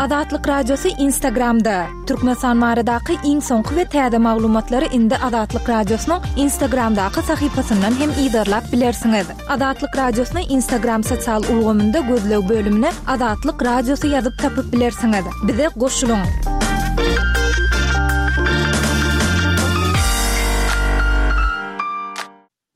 Azatlyk Radiosy Instagramda! Türkmenistan baradaky iň soňky we täze maglumatlary indi Azatlyk Radiosynyň Instagramdaky sahypasyndan hem yzarlap bilersiňiz. Azatlyk Radiosyny Instagram sosial ulgamynda gözleg bölümine Azatlyk Radiosy ýazyp tapyp bilersiňiz. Bize goşulyň!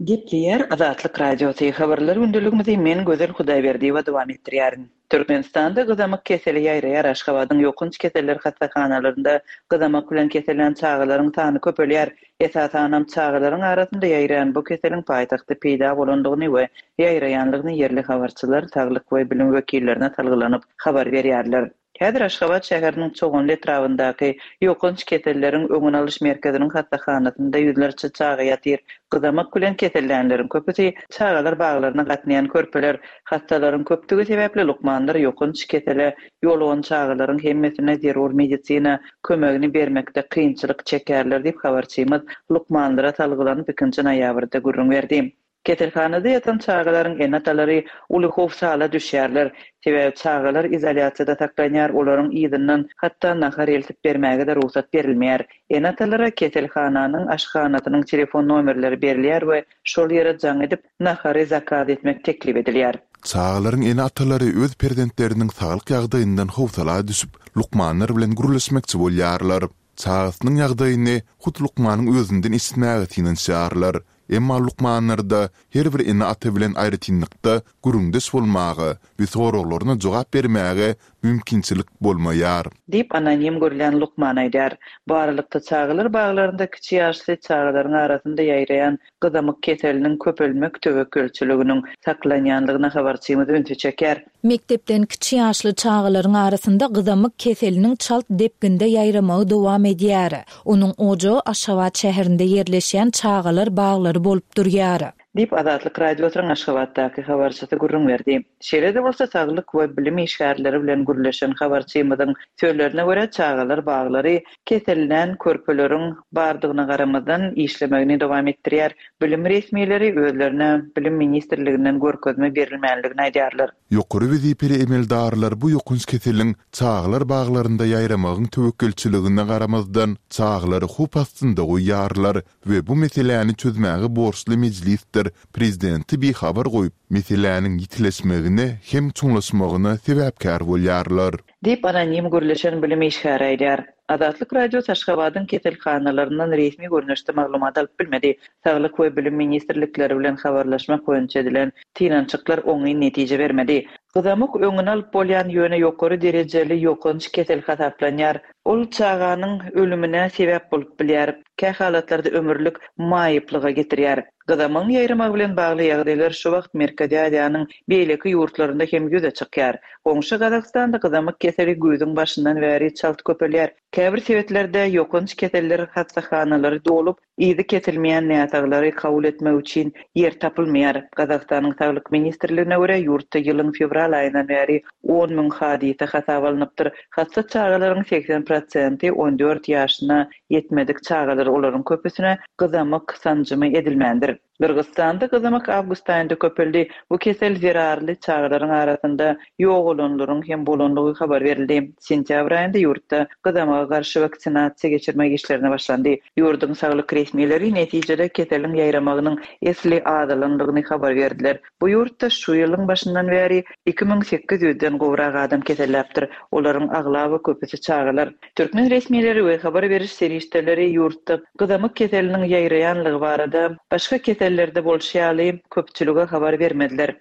Gepleýär Azatlyk Radiosy, Habarlar gündeligimizi men Gözel Hudaýberdiýewa dowam etdirýärin. Türkmenistanda gyzamyk keseli ýaýraýar Aşgabadyň ýokanç keseller hassahanalarynda gyzamyk bilen kesellän çagalaryň sany köpelýär. Esasanam çagalaryň arasynda ýaýraýan bu keseliň paýtagtda peýda bolandygyny we ýaýraýanlygyny ýerli habarçylar saglyk we bilim wekillerine salgylanyp habar berýärler. Häzir Aşgabat şäheriniň Çoganly etrabyndaky Ýokanç keselleriň öňüni alyş merkeziniň hassahanasynda ýüzlerçe çaga ýatyr. Gyzamyk bilen kesellänleriň köpüsi çagalar baglaryna gatnaýan körpeler. Hassalaryň köpdügi sebäpli lukmanlar ýokanç kesele ýolugan çagalaryň hemmesine zerur medisina kömegini bermekde kynçylyk çekýärler diýip, habarçymyz lukmanlara salgylanyp ikinji noýabrda gürrüň berdi. Keselhanada ýatan çagalaryň ene-atalary uly howsala düşýärler. Sebäbi çagalar izolýasiýada saklanýar, olaryň yzyndan hatda nahar eltip bermäge-de rugsat berilmeýär. Ene-atalara keselhananyň aşhanasynyň telefon nomerleri berilýär we şol ýere jaň edip, nahary zakaz etmek teklip edilýär. Çagalaryň ene-atalary öz perzentleriniň saglyk ýagdaýyndan howsala düşüp, lukmanlar bilen gürleşmekçi bolýarlar. Çagasynyň ýagdaýyny hut lukmanyň özünden eşitmäge synanyşýarlar. Emma lukmanlarda her bir ene-ata bilen aýratynlykda gürrüňdeş bolmaga we soraglaryna jogap bermäge mümkinçilik bolmaýar. Diýip, anonim görülýän lukman aýdýar. Bu aralykda, çagalar baglarynda kiçi ýaşly çagalaryň arasynda ýaýraýan gyzamyk keseliniň köpelmek töwekgelçiliginiň saklanýandygyna habarçymyz ünsi çekýär. Mekdepden kiçi ýaşly çagalaryň arasynda gyzamyk keseliniň çalt depginde ýaýramagy dowam edýär. Onuň ojagy Aşgabat şäherinde ýerleşýän çagalar baglary bolup durýar. Diýip, Azatlyk Radiosynyň Aşgabatdaky habarçysy gürrüň berdi. Şeýle-de bolsa, saglyk we bilim işgärleri bilen gürleşen habarçymyzyň sözlerine görä, çagalar baglary kesellän körpeleriň bardygyna garamazdan, işlemegini dowam etdirýär. Bilim resmileri özlerine Bilim ministrliginden görkezme berilmänligini aýdýarlar. Ýokary wezipeli emeldarlar bu ýokanç keseliň çagalar baglarynda ýaýramagyň töwekgelçiligine garamazdan, çagalary howp astynda goýýarlar we bu meseläni çözmäge borçly Mejlisdir Prezidenti bihabar goýup, meseläniň ýitileşmegine hem çuňlaşmagyna sebäpkär bolýarlar. Diýip, anonim gürleşen bilim işgäri aýdýar. Azatlyk Radiosy Aşgabadyň keselhanalaryndan resmi görnüşde maglumat alyp bilmedi. Saglyk we Bilim ministrlikleri bilen habarlaşmak boýunça edilen synanyşyklar oňyn netije bermedi. Gyzamyk öňüni alyp bolýan ýöne ýokary derejeli ýokanç kesel hasaplanýar. Ol çaganyň ölümine sebäp bolup bilýär, kähalatlarda ömürlik maýyplyga getirýär. Gyzamygyň ýaýramagy bilen bagly ýagdaýlar şu wagt Merkezi Aziýanyň beýleki ýurtlarynda hem ýüze çykýar. Goňşy Gazagystanda gyzamyk keseli güýzüň başyndan bäri çalt köpelýär. Käbir sebitlerde ýokanç keseller hassahanalary dolup, yzy kesilmeýän näsaglary kabul etmek üçin ýer tapylmaýar. Gazagystanyň Saglyk ministrligine görä, ýurtda ýylyň fewral aýyndan bäri 10 müň hadysa hasaba alnypdyr. Hassa çagalaryň 80 prosenti 14 ýaşyna Ýetmedik çagalar olaryň köpüsine gyzamyk sanjymy edilmändir. Gyrgyzystanda gyzamyk awgust aýynda köpeldi. Bu kesel zerarly çagalaryň arasynda ýogalanlaryň hem bolandygy habar berildi. Sentýabr aýynda ýurtda gyzamyga garşy waksinasiýa geçirmek işlerine başlandy. Ýurduň saglyk resmileri netijede keseliň ýaýramagynyň esli azalandygyny habar berdiler. Bu ýurtda şu ýylyň başyndan bäri 2800 den gowrak adam keselläpdir. Olaryň aglaba köpüsi çagalar. Türkmen resmileri we habar beriş serişdeleri ýurtda gyzamyk keseliniň ýaýraýanlygy barada, başga kesellerde bolşy ýaly, köpçülige habar bermediler.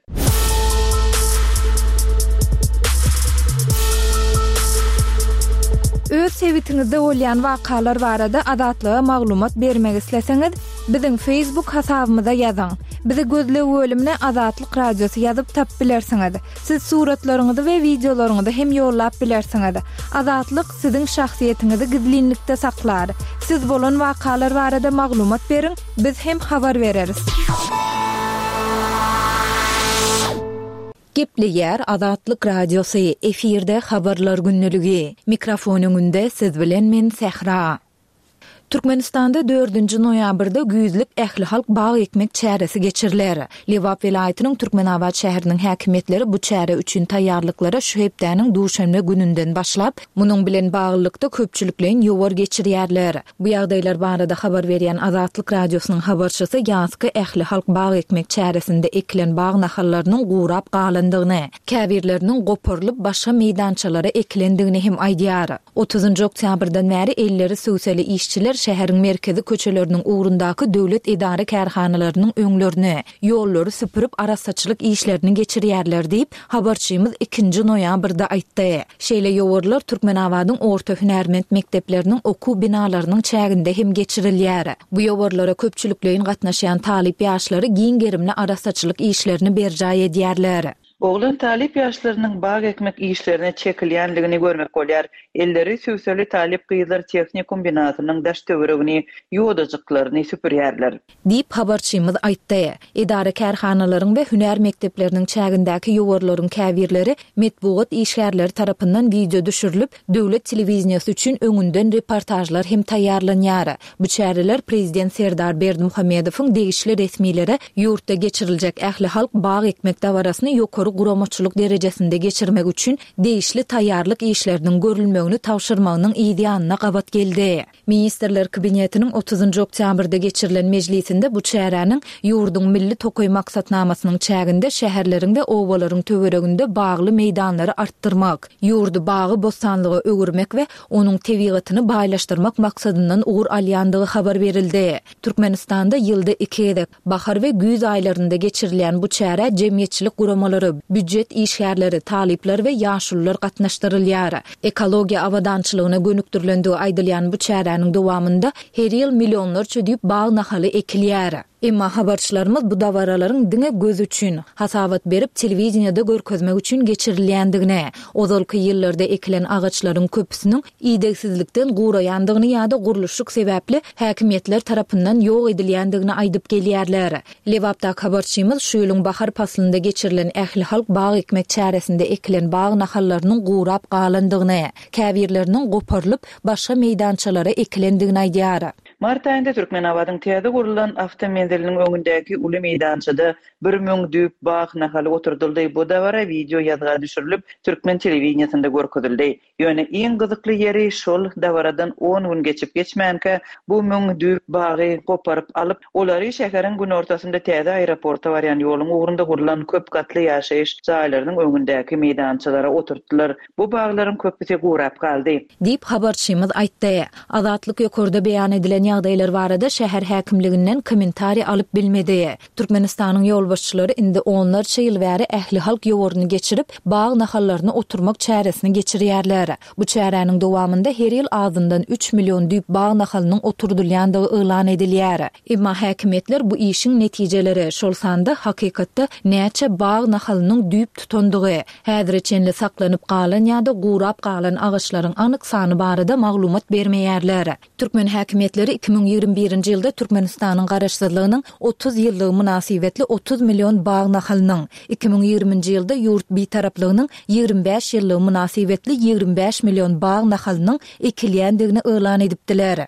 Öz sebitiňizde bolýan wakalar barada Azatlyga maglumat bermek isleseňiz, biziň Facebook hasabymyza ýazyň. Bizi gözleg bölümine Azatlyk Radiosy ýazyp tapyp bilersiňiz. Siz suratlaryňyzy we wideolaryňyzy hem ýollap bilersiňiz. Azatlyk siziň şahsyýetiňizi gizlinlikde saklar. Siz bolan wakalar barada maglumat beriň, biz hem habar bereris. Gepleýär Azatlyk Radiosy, efirde Habarlar gündeligi. Mikrofon öňünde siz bilen men Sähra. Türkmenistanda dördünji noýabrda güýzlük ählihalk bag ekmek çäresi geçiriler. Lebap welaýatynyň Türkmenabat şäheriniň häkimiýetleri bu çäre üçin taýýarlyklara şu hepdäniň duşenbe gününden başlap, munuň bilen baglylykda köpçülikleýin ýowar geçirýärler. Bu ýagdaýlar barada habar berýän Azatlyk Radiosynyň habarçysy ýazky ählihalk bag ekmek çäresinde ekilen bag nahallarynyň gurap galandygyny, käbirleriniň goparylyp başga meýdançalara ekilendigini hem aýdýar. Otuzynjy oktýabrdan bäri elleri sübseli işçiler şäheriň merkezi köçeleriniň ugrundaky döwlet edara-kärhanalarynyň öňlerini, ýollary süpürip arassaçylyk işlerini geçirýärler diýip, habarçymyz ikinji noýabrda aýtdy. Şeýle ýowarlar Türkmenabadyň orta hünärment mekdepleriniň okuw binalarynyň çäginde hem geçirilýär. Bu ýowarlara köpçülikleýin gatnaşýan talyp ýaşlary giň gerimli arassaçylyk işlerini berjaý edýärler. Oglan talyp ýaşlarynyň bag ekmek işlerine çekilýändigini görmek bolýar. Elleri sübseli talyp gyzlar tehnikum binasynyň daş-töweregini, ýodajyklaryny süpürýärler. Diýip, habarçymyz aýtdy. Edara-kärhanalaryň we hünär mekdepleriniň çägindäki ýowarlaryň käbirleri metbugat işgärleri tarapyndan wideo düşürilip, döwlet telewideniýesi üçin öňünden reportažlar hem taýýarlanýar. Bu çäreler prezident Serdar Berdimuhamedowyň degişli resmilere ýurtda geçiriljek ählihalk bag ekmek dabarasyny ýokary guramaçylyk derejesinde geçirmek üçin degişli taýýarlyk işleriniň görülmegini tabşyrmagynyň yz ýanyna gabat geldi. Ministrler Kabinetiniň otuzynjy oktýabrda geçirilen mejlisinde bu çäräniň ýurduň Milli tokaý maksatnamasynyň çäginde şäherleriň we obalaryň töwereginde bagly meýdanlary artdyrmak, ýurdy bagy-bossanlyga öwürmek we onuň tebigatyny baýlaşdyrmak maksadyndan ugur alýandygy habar berildi. Türkmenistanda ýylda iki gezek, bahar we güýz aýlarynda geçirilýän bu çärä jemgyýetçilik guramalary, býujet işgärleri, talyplar we ýaşulular gatnaşdyrylýar. Ekologiýa abadançylygyna gönükdirilendigi aýdylýan bu çäräniň dowamynda her ýyl millionlarça düýp bag nahaly ekilýär. Emma habarçylarymyz bu dabaralaryň diňe göz üçin, hasabat berip telewideniýede görkezmek üçin geçirilýändigini, ozalky ýyllarda ekilen agaçlaryň köpüsiniň idegsizlikden guraýandygyny ýa-da gurluşyk sebäpli häkimiýetler tarapyndan ýok edilýändigini aýdyp gelýärler. Lebapdaky habarçymyz şu ýylyň bahar paslynda geçirilen ählihalk bag ekmek çäresinde ekilen bag nahallarynyň gurap galandygyny, käbirleriniň goparylyp, başga meýdançalara ekilendigini aýdýar. Mart aýynda Türkmenabadyň täze gurlan awtomenziliniň öňündäki uly meýdançada 1000 düýp bag nahaly oturdyldy. Bu dabara wideo ýazga düşürilip, türkmen telewideniýesinde görkezildi. Ýöne iň gyzykly ýeri şol dabaradan on gün geçip-geçmänkä bu müň düýp bagy goparyp alyp, olary şäheriň günortasynda täze aeroporta barýan ýoluň ugrunda gurlan köp gatly ýaşaýyş jaýlarynyň öňündäki meýdançalara oturtdylar. Bu baglaryň köpüsi gurap galdy. Diýip, habarçymyz aýtdy. Azatlyk ýokarda beýan edilen ýagdaýlar barada şäher häkimliginden kommentariý alyp bilmedi. Türkmenistanyň ýolbaşçylary indi onlarça ýyl bäri ählihalk ýowaryny geçirip, bag nahallaryny oturmak çäresini geçirýärler. Bu çäräniň dowamynda her ýyl azyndan üç million düýp bag nahalynyň oturdylýandygy yglan edilýär. Emma häkimiýetler bu işiň netijeleri, şol sanda hakykatda näçe bag nahalynyň düýp tutandygy, häzire çenli saklanyp galan ýa-da gurap galan agaçlaryň anyk sany barada maglumat bermeýärler. Türkmen häkimiýetleri 2021-nji ýylda Türkmenistanyň Garaşsyzlygynyň 30 ýyllygy mynasybetli 30 million bag nahalynyň, 2020-nji ýylda ýurt Bitaraplygynyň 25 ýyllygy mynasybetli 25 million bag nahalynyň ekilýändigini yglan edipdiler.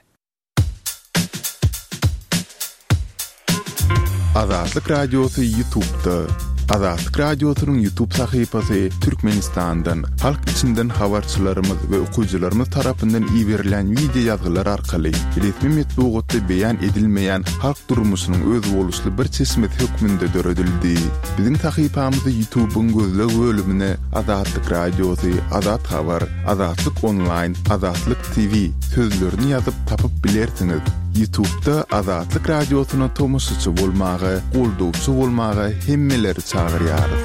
Azatlyk Radiosy YouTube'da. Azatlyk Radiosynyň YouTube sahypasy Türkmenistandan, halk içinden habarçylarymyz we okyjylarymyz tarapyndan iberilen wideo ýazgylar arkaly resmi metbugatda beýan edilmeýän halk durmuşynyň özboluşly bir çeşmesi hökmünde döredildi. Biziň sahypamyzy YouTube'yň gözleg bölümine Azatlyk Radiosy, Azat Habar, Azatlyk Onlaýn, Azatlyk TV sözlerini ýazyp tapyp bilersiňiz. Ýutubda Azatlyk Radiosyna tomaşaçy bolmaga, goldawçy bolmaga hemmeleri çagyrýarys.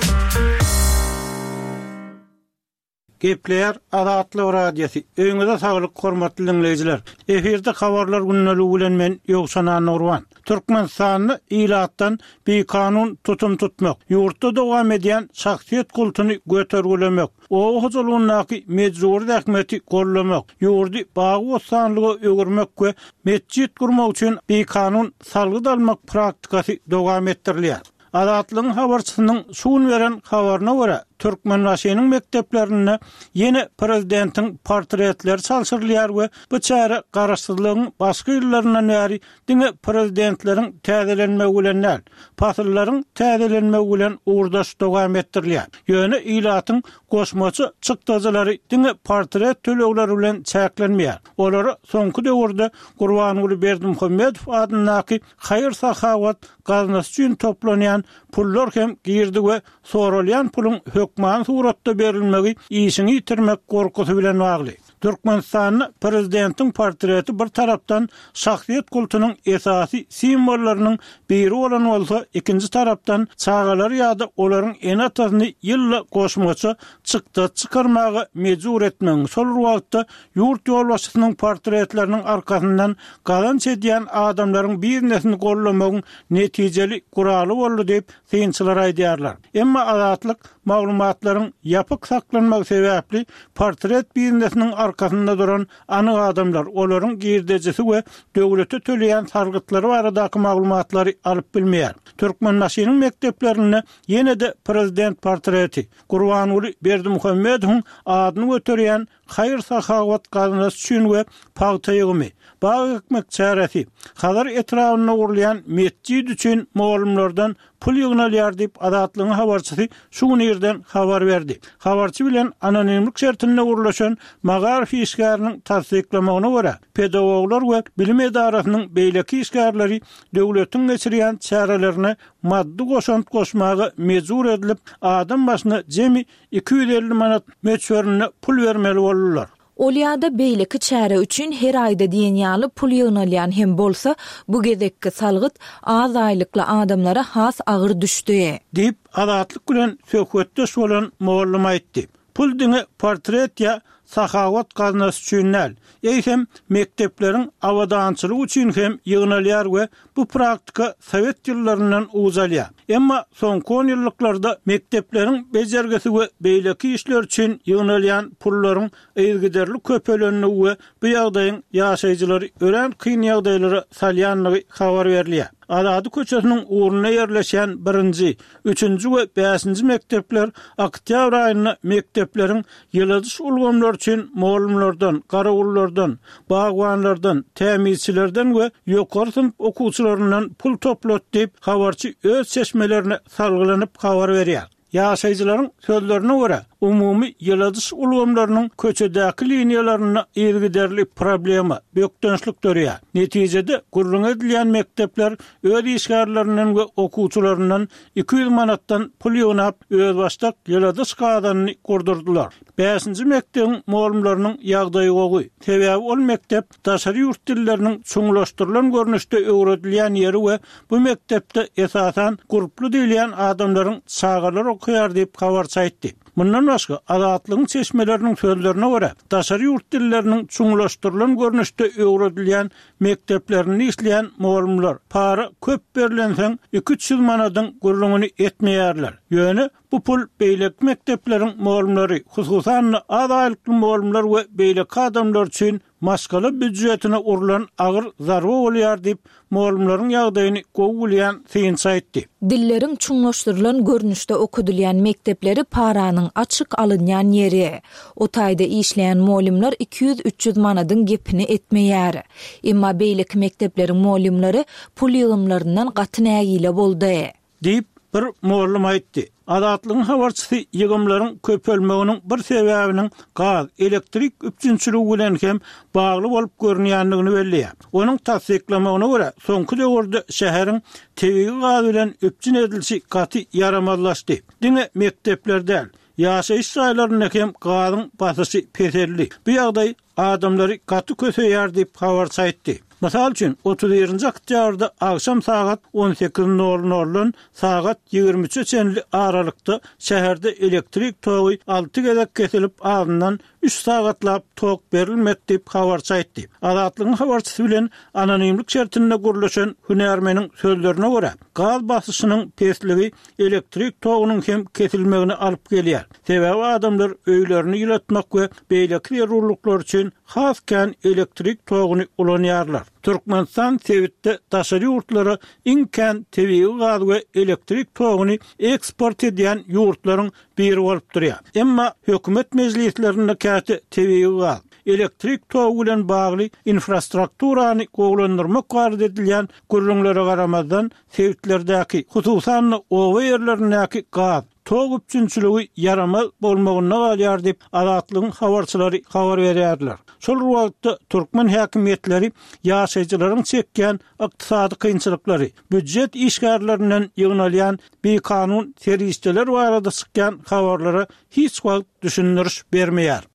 Gepleýär Azatlyk Radiosy. Öýüňize saglyk hormatly diňleýjiler. Efirde habarlar gündeligi bilen men Ýowşan Annagurban. Türkmenistanda ilatdan bikanun tutum tutmak, ýurtda dowam edýän şahsyýet kultuny götergilemek, oba hojalygyndaky mejbury zähmeti gollamak, ýurdy bagy-bossanlyga öwürmek we metjit gurmak üçin bikanun salgyt almak praktikasy dowam etdirilýär. Azatlygyň habarçysynyň şu gün beren habaryna görä, Türkmenbaşynyň mekdeplerinde ýene prezidentiň portretleri çalşyrylýar we bu çäre garaşsyzlygyň başky ýyllaryndan bäri diňe prezidentleriň täzelenmegi bilen däl, pasyllaryň täzelenmegi bilen ugurdaş dowam etdirilýär. Ýöne ilatyň goşmaça çykdajylary diňe portret tölegleri bilen çäklenmeýär. Olara soňky döwürde Gurbanguly Berdimuhamedow adyndaky haýyr-sahawat gaznasy üçin toplanýan pullar hem girdi we soralýan puluň hökmany suratda berilmegi işiňi ýitirmek gorkusy bilen bagly. Türkmenistanda prezidentiň portreti bir tarapdan şahsyýet kultunyň esasy simwollarynyň biri bolan bolsa, ikinji tarapdan çagalary ýa-da olaryň ene-atasyny ýylda goşmaça çykdajy çykarmaga mejbur etmegiň, şol bir wagtda ýurt ýolbaşçysynyň portretleriniň arkasyndan gazanç edýän adamlaryň biznesini goldamagyň netijeli guraly boldy diýip, synçylar aýdýarlar. Emma Azatlyk maglumatlaryň ýapyk saklanmagy sebäpli portret biznesiniň arkasynda duran anyk adamlar, olaryň girdejisi we döwlete töleýän salgytlary baradaky maglumatlary alyp bilmeýär. Türkmenbaşynyň mekdeplerinde ýene-de prezident portreti, Gurbanguly Berdimuhamedowyň adyny göterýän haýyr-sahawat gaznasy üçin we pagta ýygymy, bag ekmek çäresi, Hazar etrabynda gurulýan metjit üçin mugallymlardan pul ýygnalýar diýip, Azatlygyň habarçysy şu gün irden habar berdi. Habarçy bilen anonimlik şertinde gürleşen magaryf işgäriniň tassyklamagyna görä, pedagoglar we bilim edarasynyň beýleki işgärleri döwletiň geçirýän çärelerine maddy goşant goşmaga mejbur edilip, adam başyna jemi 250 manat möçberinde pul bermeli boldular. Ol ýa-da beýleki çäre üçin her aýda diýen ýaly pul ýygnalýan hem bolsa, bu gezekki salgyt az aýlykly adamlara has agyr düşdi. Diýip, Azatlyk bilen söhbetdeş bolan mugallym aýtdy. Pul diňe portret ýa sahawat gaznasy üçin däl, eýsem, mekdepleriň abadançylygy üçin hem ýygnalýar we Bu praktika sowet ýyllaryndan uç alýar. Emma soňky onýyllyklarda mekdepleriň bejergisi we beýleki işler üçin ýygnalýan pullaryň yzygiderli köpelendigi we bu ýagdaýyň ýaşaýjylary örän kyn ýagdaýlara salýandygy habar berilýär. Azady köçesiniň ugrunda ýerleşýän birinji, üçünji we bäşinji mekdepler oktýabr aýynda mekdepleriň ýyladyş ulgamlary üçin mugallymlardan, garawullardan, bagbanlardan, tämizçilerden we ýokary synp okuwçylaryndan pul toplady diýip, habarçy öz çeşmelerine salgylanyp habar berýär. Ýaşaýjylaryň sözlerine görä, umumy ýyladyş ulgamlarynyň köçedäki liniýalarynda yzygiderli problema, bökdençlik döreýär. Netijede, gürrüňi edilýän mekdepler öz işgärlerinden we okuwçylaryndan 200 manatdan pul ýygnap, özbaşdak ýyladyş gazanyny gurdurdylar. Bäşinji mekdebiň mugallymlarynyň ýagdaýy gowy. Sebäbi ol mekdep daşary ýurt dilleriniň çuňlaşdyrylan görnüşde öwredilýän ýeri we bu mekdepde esasan gurply diýilýän adamlaryň çagalary okaýar diýip, habarçy aýtdy. Mundan başga, Azatlygyň çeşmeleriniň sözlerine görä, daşary ýurt dilleriniň çuňlaşdyrylan görnüşde öwredilýän mekdeplerinde işleýän mugallymlar para köp berlensoň iki-üç ýüz manadyň gürrüňini etmeýärler. Ýöne Bu pul beýleki mekdepleriň mugallymlary, hususan-da, az aýlykly mugallymlar we beýleki adamlar üçin maşgala býujetine urlan agyr zarba bolýar diýip, mugallymlaryň ýagdaýyny gowy bilýän synçy aýtdy. Dilleriň çuňlaşdyrylan görnüşde okadylýan mekdepleri paranyň açyk alynýan ýeri. O taýda işleýän mugallymlar 200-300 manadyň gepini etmeýär. Emma beýleki mekdepleriň mugallymlary pul ýygymlaryndan gaty nägile boldy. Diýip, bir mugallym aýtdy. Azatlygyň habarçysy ýygymlaryň köpelmeginiň bir sebäbiniň gaz, elektrik üpjünçiligi bilen hem bagly bolup görünýändigini belleýär. Onuň tassyklamagyna görä, soňky döwürde şäheriň tebigy gaz bilen üpjün edilişi gaty ýaramazlaşdy. Diňe mekdepler däl, ýaşaýyş jaýlarynda hem gazyň basyşy peseldi. Bu ýagdaý adamlary gaty köseýär diýip, habarçy aýtdy. Mysal üçin, 31-nji oktýabrda agşam sagat 18 nol noldan sagat 23-e çenli aralykda şäherde elektrik togy alty gezek kesilip, azyndan üç sagatlap tok berilmedi diýip, habarçy aýtdy. Azatlygyň habarçysy bilen anonimlik şertinde gürleşen hünärmeniň sözlerine görä, gaz basyşynyň pesligi elektrik togunyň hem kesilmegine alyp gelýär. Sebäbi adamlar öýlerini ýylatmak we beýleki zerurlyklar üçin has kän elektrik toguny ulanýarlar. Türkmenistan sebitde daşary ýurtlara iň kän tebigy gaz we elektrik toguny eksport edýän ýurtlaryň biri bolup durýar. Emma hökümet mejlislerinde käte tebigy gaz, elektrik togy bilen bagly infrastrukturany gowulandyrmak barada edilýän gürrüňlere garamazdan, sebitlerdäki, hususan-da, oba ýerlerindäki gaz, tok üpjünçiligi ýaramaz bolmagynda galýar diýip, Azatlygyň habarçylary habar berýärler. Şol bir wagtda, türkmen häkimiýetleri ýaşaýjylaryň çekýän ykdysady kynçylyklary, býujet işgärlerinden ýygnalýan bikanun serişdeler barada çykýan habarlara hiç wagt düşündiriş bermeýär.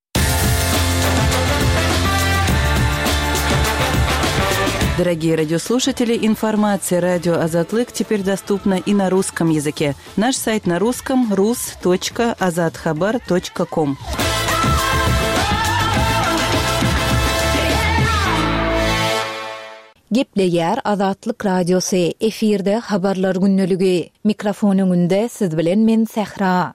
Дорогие радиослушатели, информация радио Азатлык теперь доступна и на русском языке. Наш сайт на русском rus.azathabar.com. Gepleýär Azatlyk Radiosy, efirde Habarlar gündeligi. Mikrofon öňünde siz bilen men Sähra.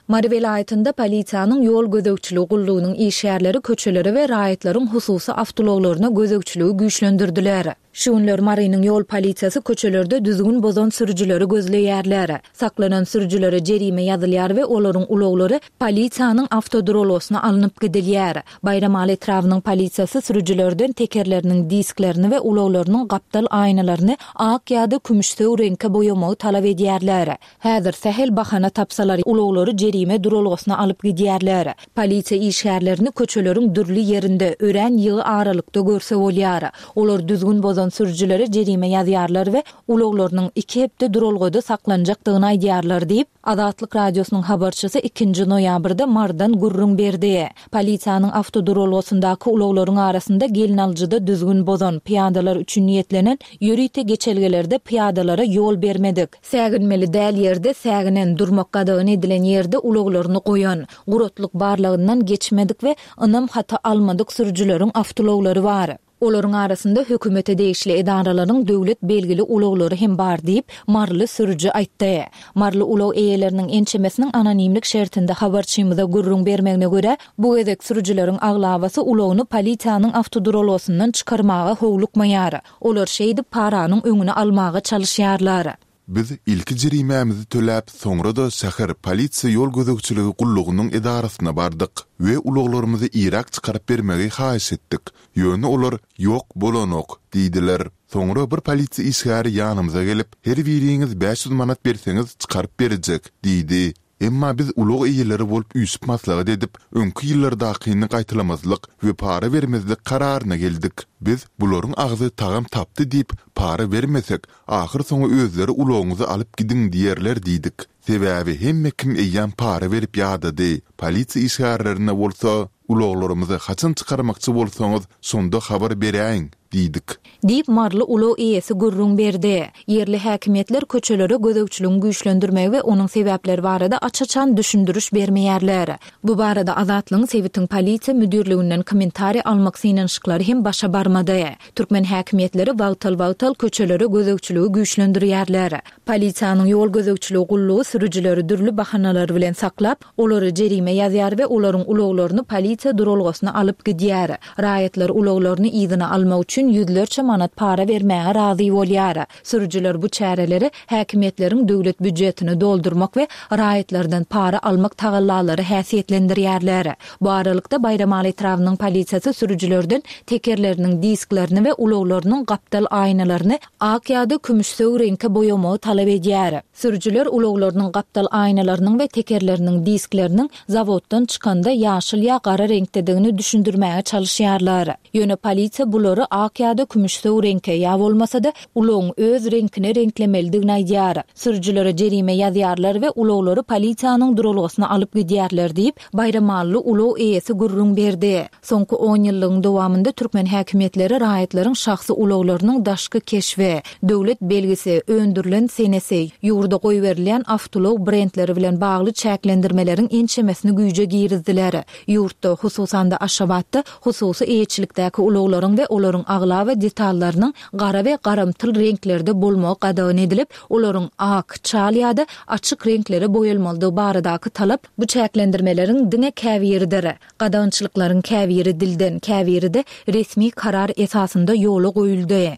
Mary welaýatynda polisiýanyň ýol gözegçiligi gullugynyň işgärleri köçelere we raýatlaryň hususy awtoulaglaryna gözegçiligi güýçlendirdiler. Şu günler Marynyň ýol polisiýasy köçelerde düzgün bozan sürüjileri gözleýärler. Saklanan sürüjilere jerime ýazylýar we olaryň ulaglary polisiýanyň awtoduralgasyna alnyp gidilýär. Baýramaly etrabynyň polisiýasy sürüjilerden tekerleriniň disklerini we ulaglarynyň gapdal aýnalaryny ak ýa-da kümüşsöw reňke boýamagy talap edýärler. Häzir sähel bahana tapsalar, ulaglary jerime duralgasyna alyp gidýärler. Polisiýa işgärlerini köçeleriň dürli ýerinde, örän ýygy aralykda görse bolýar. Olar düzgün bozan sürüjilere jerime ýazýarlar we ulaglarynyň iki hepde duralgada saklanjakdygyny aýdýarlar diýip, Azatlyk Radiosynyň habarçysy ikinji noýabrda Marydan gürrüň berdi. Polisiýanyň awtoduralgasyndaky ulaglaryň arasynda gelnalyjyda düzgün bozan, pyýadalar üçin niýetlenen ýörite geçelgelerde pyýadalara ýol bermedik, säginmeli däl ýerde säginen, durmak gadagan edilen ýerde ulaglaryny goýan, guratlyk barlagyndan geçmedik we ynam haty almadyk sürüjileriň awtoulaglary bar. Olaryň arasynda hökümete degişli edaralaryň döwlet belgili ulaglary hem bar diýip, maryly sürüji aýtdy. Maryly ulag eýeleriniň ençemesiniň anonimlik şertinde habarçymyza gürrüň bermegine görä, bu gezek sürüjileriň aglabasy ulagyny polisiýanyň awtoduralgasyndan çykarmaga howlukmaýar. Olar şeýdip paranyň öňüni almaga çalyşýarlar. Biz ilki jerimämizi töläp, soňra-da şäher polisiýa ýol gözegçiligi gullugynyň edarasyna bardyk we ulaglarymyzy iräk çykaryp bermegi haýyş etdik. Ýöne olar, Ýok, bolanok diýdiler. Soňra bir polisiýa işgäri ýanymyza gelip, Her biriňiz 500 manat berseňiz çykaryp berjek diýdi. Emma biz ulag eýeleri bolup üýşüp maslahat edip, öňki ýyllardakyny gaýtalamazlyk we para bermezlik kararyna geldik. Biz, Bularyň agzy tagam tapdy diýip, para bermesek, ahyrsoňy özleri ulagyňyzy alyp gidiň diýerler diýdik. Sebäbi hemme kim eýýäm para berip ýadady. Polisiýa işgärlerine bolsa, Ulaglarymyzy haçan çykarmakçy bolsaňyz, şonda habar beräýiň! diýdik. Diýip, maryly ulag eýesi gürrüň berdi. Ýerli häkimiýetler köçelere gözegçiligiň güýçlendirmegi we onuň sebäpleri barada aç-açan düşündiriş bermeýärler. Bu barada Azatlygyň sebitiň polisiýa müdirliginden kommentariý almak synanyşyklary hem başa barmady. Türkmen häkimiýetleri wagtal-wagtal köçelere gözegçiligi güýçlendirýärler. Polisiýanyň ýol gözegçiligi gullugy sürüjileri dürli bahanalar bilen saklap, Olara jerime ýazýar we olaryň ulaglaryny polisiýa duralgasyna alyp gidýär. Raýatlar ulaglaryny yzyna almak üçin ýüzlerçe manat para bermäge razy bolýar. Sürüjiler bu çäreleri häkimiýetleriň döwlet býujetini doldurmak we raýatlardan para almak tagallalary häsiýetlendirýärler. Bu aralykda, Baýramaly etrabynyň polisiýasy sürüjilerden tekerleriniň disklerini we ulaglarynyň gapdal aýnalaryny ak ýa-da kümüşsöw reňke boýamagy talap edýär. Sürüjiler ulaglarynyň gapdal aýnalarynyň we tekerleriniň diskleriniň zawoddan çykanda ýaşyl ýa gara reňkdedigini düşündirmäge çalyşýarlar. Ýöne polisiýa bulary ak ýa-da kümüşsöw reňke, ýa bolmasa-da, ulagyň öz reňkine reňklemelidigini aýdýar. Sürüjilere jerime ýazýarlar we ulaglary polisiýanyň duralgasyna alyp gidýärler diýip, baýramally ulag eýesi gürrüň berdi. Soňky onýyllygyň dowamynda türkmen häkimiýetleri raýatlaryň şahsy ulaglarynyň daşky keşbi, döwlet belgisi, öndürilen senesi, ýurda goýberilýän awtoulag brendleri bilen bagly çäklendirmeleriň ençemesini güýje girizdiler. Ýurtda, hususan-da Aşgabatda hususy eýeçilikdäki ulaglaryň we olaryň. aglaba detallarynyň gara we garamtyl reňklerde bolmagy gadagan edilip, olaryň ak, çal ýa-da açyk reňklere boýalmalydygy baradaky talap bu çäklendirmeleriň diňe käbiridir. Gadagançylyklaryň käbiri dilden, käbiri-de resmi karar esasynda ýola goýuldy.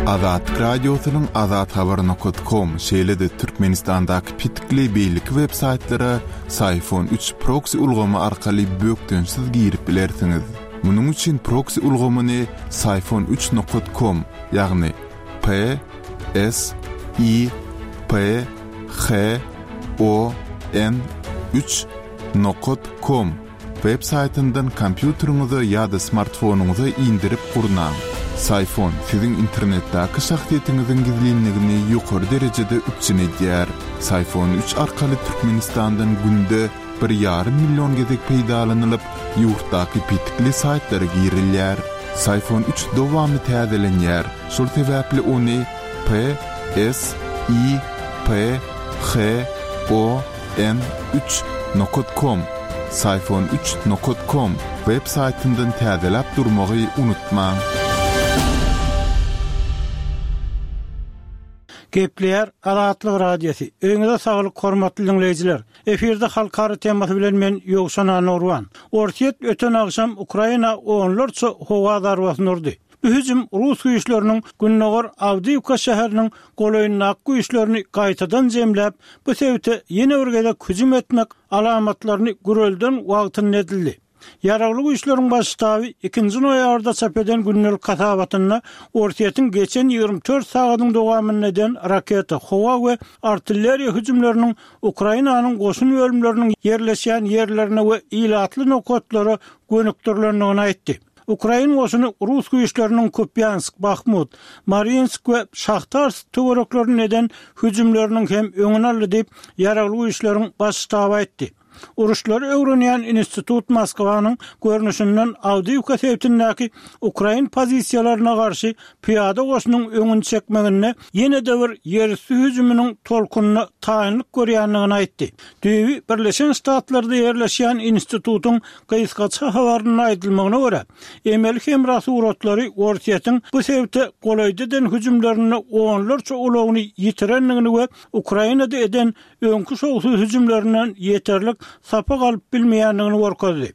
Azatlyk Radiosynyň Azathabar nokat kom, şeýle-de Türkmenistandaky petikli beýleki web saýtlara Syfon üç proksi ulgamy arkaly bökdençsiz girip bilersiňiz. Munuň üçin proksi ulgamyny Syfon üç nokat kom, ýagny P S I P H O N üç nokat kom web saýtyndan kompýuteriňize ýa-da smartfonyňyza indirip gurnaň. Syfon siziň internetdäki şahsyýetiňiziň gizlinligini ýokary derejede üpjün edýär. Syfon üç arkaly Türkmenistandan günde bir ýarym million gezek peýdalanylyp, ýurtdaky petikli saýtlara girilýär. Syfon üç dowamly täzelenýär, şol sebäpli ony P S I P H O N üç nokat kom, Syfon üç nokat kom, web saýtyndan täzeläp durmagy unutmaň. Gepleýär Azatlyk Radiosy. Öýüňize saglyk hormatly diňleýjiler. Efirde halkara temasy bilen men Ýowşan Annagurban. Orsýet öten agşam Ukraina onlarça howa zarbasyny urdy. Bu hüjüm rus güýçleriniň gündogar Awdiýwka şäheriniň golaýyndaky güýçlerini gaýtadan jemläp, bu sebite ýene bir gezek hüjüm etmek alamatlaryny gürelden wagtynda edildi. Ýaragly Güýçleriň Baş ştaby ikinji noýabrda çap eden gündelik hasabatynda Orsýetiň geçen 24 sagadyň dowamynda eden raketa, howa we artilleriýa hüjümleriniň Ukrainanyň goşun bölümleriniň ýerleşýän ýerlerine we ilatly nokatlara gönükdirilendigini aýtdy. Ukrain goşuny rus güýçleriniň Kupýansk, Bahmut, Marinsk we Şahtarsk töwereklerinde eden hüjümleriniň hem öňüni aldy diýip, Ýaragly Güýçleriň Baş ştaby aýtdy. Uruşlary öwrenýän institut Moskwanyň görnüşinden Awdiýwka sebitindäki ukrain pozisiýalaryna garşy pyýada goşunyň öňüni çekmeginde ýene-de bir ýerüsti hüjüminiň tolkunyna taýynlyk görýändigini aýtdy. Düýbi Birleşen Ştatlarda ýerleşýän institutyň Gysgaça habarynda aýdylmagyna görä, emeli hemra suratlary Orsýetiň bu sebite golaýda eden hüjümlerinde onlarça ulagyny ýitirendigini we Ukrainada eden öňki şowsuz hüjümlerinden ýeterlik sapak alyp bilmeýändigini görkezdi.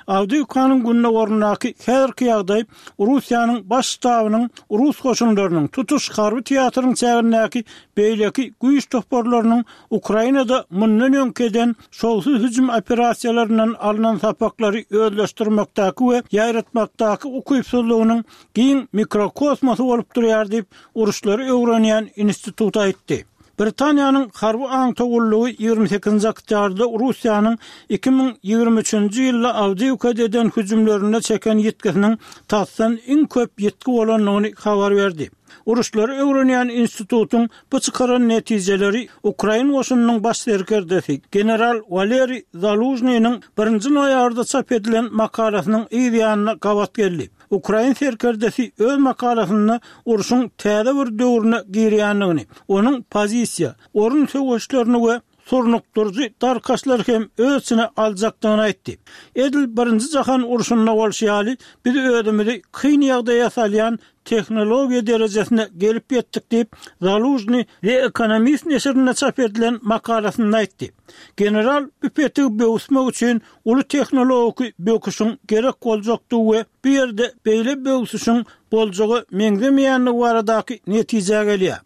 Awdiýewkanyň gündogaryndaky häzirki ýagdaý Russiýanyň Baş ştabynyň rus goşunlarynyň tutuş harby teatryň çägindäki beýleki güýç toparlarynyň Ukrainada mundan öňki eden şowsuz hüjüm operasiýalaryndan alnan sapaklary özleşdirmekdäki we ýaýratmakdaky ukypsyzlygynyň giň mikrokosmosy bolup durýar diýip, uruşlary öwrenýän institut aýtdy. Britaniýanyň harby aňtaw gullugy 28-nji oktýabrda Russiýanyň 2023-nji ýylda Awdiýewkada eden hüjümlerinde çeken ýitgisiniň tasdan iň köp ýitgi bolandygyny habar berdi. Uruşlary öwrenýän institutyň bu çykaran netijeleri ukrain goşunynyň baş serkerdesi, general Waleriý Zalužnynyň birinji noýabrda çap edilen makalasynyň yz ýanyna gabat geldi. Ukrain serkerdesi öz makalasynda urşuň täze bir döwrüne girýändigini, onuň pozisiýa, orun söweşlerini we surnukdyryjy darkaşlary hem öz içine aljakdygyny aýtdy. Edil Birinji jahan urşunda bolşy ýaly, biz özümizi kyn ýagdaýa salýan tehnologiýa derejesine gelip ýetdik diýip, Zalužnyý The Economist neşirinde çap edilen makalasynda aýtdy. General bu petigi böwüsmek üçin uly tehnologiki böküşiň gerek boljakdygy we bu ýerde beýle böwsüşiň boljaga meňzemeýändigi baradaky netijä gelýär.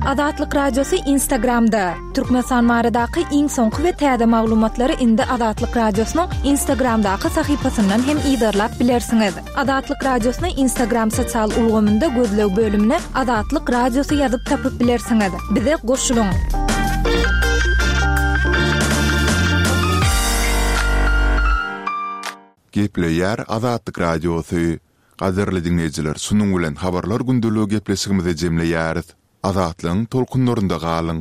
Azatlyk Radiosy Instagramda, Türkmenistan baradaky iň soňky we täze maglumatlary indi Azatlyk Radiosynyň Instagramdaky sahypasyndan hem yzarlap bilersiňiz. Azatlyk Radiosyny Instagram sosial ulgamynda gözleg bölümine Azatlyk Radiosy ýazyp tapyp bilersiňiz. Bize goşulyň! Gepleýär Azatlyk Radiosy. Gadyrly diňleýjiler şunuň bilen Habarlar gündeligi gepleşigimizi jemleýäris. Azatlygyň tolkunlarynda galyň!